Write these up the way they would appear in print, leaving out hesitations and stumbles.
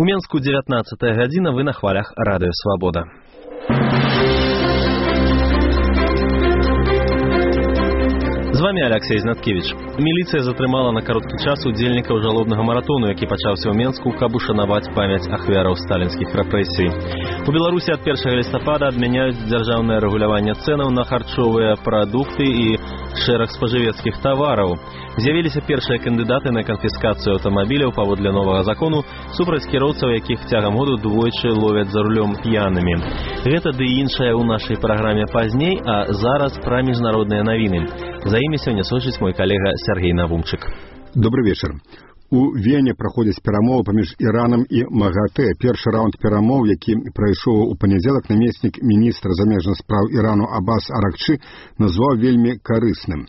У Менску 19 гадзіна, вы на хвалях Радыё Свабода. З вами Алексей Знаткевич. Міліцыя затрымала на кароткі час удзельнікаў жалобнага маратону, які пачаўся ў Менску, каб ушанаваць памяць ахвяраў сталінскіх рэпрэсій. У Беларусі ад 1 лістапада адмяняюць дзяржаўнае рэгуляванне цэнаў на харчовыя прадукты і шэраг спажывецкіх тавараў. З'явіліся першыя кандыдаты на канфіскацыю аўтамабіляў паводле новага закону супраць кіроўцаў, якіх цягам году двойчы ловяць за рулём п'янымі. Гэта ды іншае ў нашай праграме пазней, а зараз пра міжнародныя навіны. За імі сёння сочыць мой калега Сергей Навумчык. Добрый вечар. У Вене праходзяць перамовы паміж Іранам і МАГАТЭ. Першы раунд перамоў, які прайшоў у панядзелак, намеснік міністра замежных спраў Ірану Аббас Аракчы назваў вельмі карысным.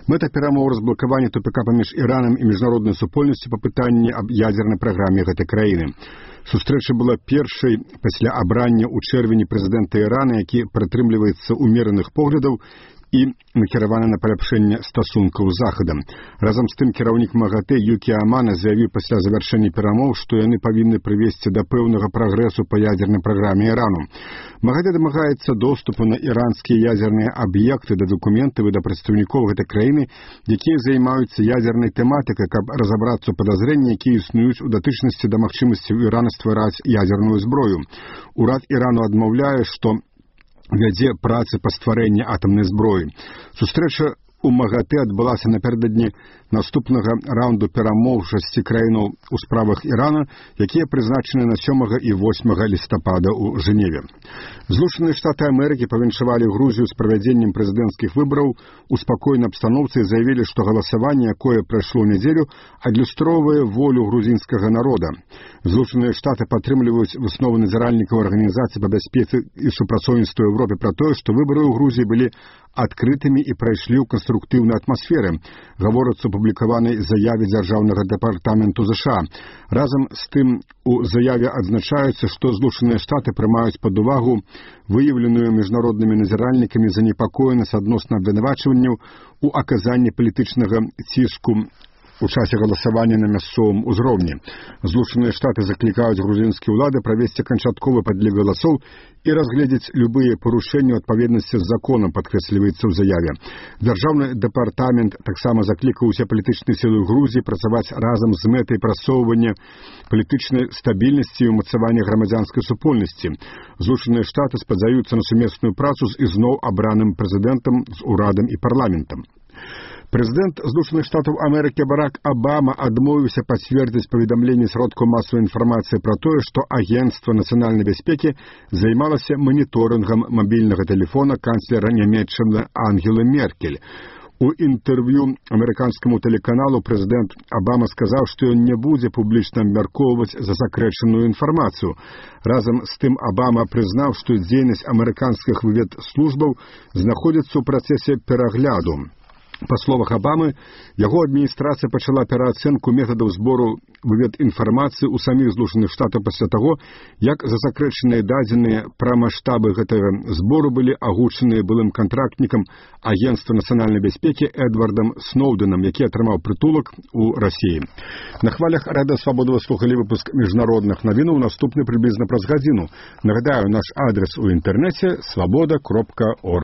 Мэта перамоў разблакавання тупіка паміж Іранам і міжнароднай супольнасцю па пытанні аб ядзернай праграме гэтай краіны. Сустрэча была першай пасля абрання ў чэрвені прэзідэнта Ірана, які прытрымліваецца умераных поглядаў і накіравана на паляпшэнне стасункаў з Захадам. Разам з тым кіраўнік МАГАТЭ Юкі Амана заявіў пасля завяршэння перамоў, што яны павінны прывесці да пэўнага прагрэсу па ядзернай праграме Ірану. МАГАТЭ дамагаецца доступу на іранскія ядзерныя аб'екты, да дакументаў і да прадстаўнікоў гэтай краіны, якія займаюцца ядзернай тэматыкай, каб разабрацца ў падазрэнні, якія існуюць у датычнасці да магчымасці ў Ірана ствараць ядзерную зброю. Урад Ірану адмаўляе, што вядзе працы па стварэнні атамнай зброі. Сустрэча у МАГАТЭ адбылася напярэдадні наступнага раунду перамоў 6 краінаў у справах Ірана, якія прызначаны на 7 і 8 лістапада ў Жэневе. Злучаныя Штаты Амерыкі павіншавалі Грузію з правядзеннем прэзідэнцкіх выбараў у спакойнай абстаноўцы і заявілі, што галасаванне, якое прайшло ў нядзелю, адлюстроўвае волю грузінскага народа. Злучаныя Штаты падтрымліваюць высновы назіральнікаў Арганізацыі па бяспецы і супрацоўніцтву Еўропе пра тое, што выбары ў Грузіі былі адкрытымі і прайшлі ў канструктыўнай атмасферы, гаворыцца ў публікаванай заяве дзяржаўнага дэпартаменту ЗША. Разам з тым у заяве адзначаецца, што Злучаныя Штаты прымаюць пад увагу выяўленую міжнароднымі назіральнікамі занепакоенасць адносна абвінавачванняў у аказанні палітычнага ціску у часе галасавання на мясцовым узроўні. Злучаныя Штаты заклікаюць грузінскія ўлады правесці канчатковы падлік галасоў і разгледзець любыя парушэнні ў адпаведнасці з законам, падкрэсліваецца ў заяве. Дзяржаўны дэпартамент таксама заклікаў усе палітычныя сілы Грузіі працаваць разам з мэтай прасоўвання палітычнай стабільнасці і ўмацавання грамадзянскай супольнасці. Злучаныя Штаты спадзяюцца на сумесную працу з ізноў абраным прэзідэнтам, з урадам і парламентам. Прэзідэнт Злучаных Штатаў Амерыкі Барак Абама адмовіўся пацвердзіць паведамленне сродкаў масавай інфармацыі пра тое, што Агенцтва нацыянальнай бяспекі займалася маніторынгам мабільнага тэлефона канцлера Нямецчыны Ангелы Меркель. У інтэрв'ю амерыканскаму тэлеканалу прэзідэнт Абама сказаў, што ён не будзе публічна абмяркоўваць засакрэчаную інфармацыю. Разам з тым Абама прызнаў, што дзейнасць амерыканскіх выведслужбаў знаходзіцца ў працэсе перагляду. Па словах Абамы, яго адміністрацыя пачала пераацэнку метадаў збору выведінфармацыі ў саміх Злучаных Штатаў пасля таго, як засакрэчаныя дадзеныя пра маштабы гэтага збору былі агучаныя былым кантрактнікам Агенцтва нацыянальнай бяспекі Эдвардам Сноўдэнам, які атрымаў прытулак у Расіі. На хвалях Радыё Свабода вы слухалі выпуск міжнародных навінаў, наступны прыблізна праз гадзіну. Нагадаю, наш адрес у інтэрнэце свабода.орг.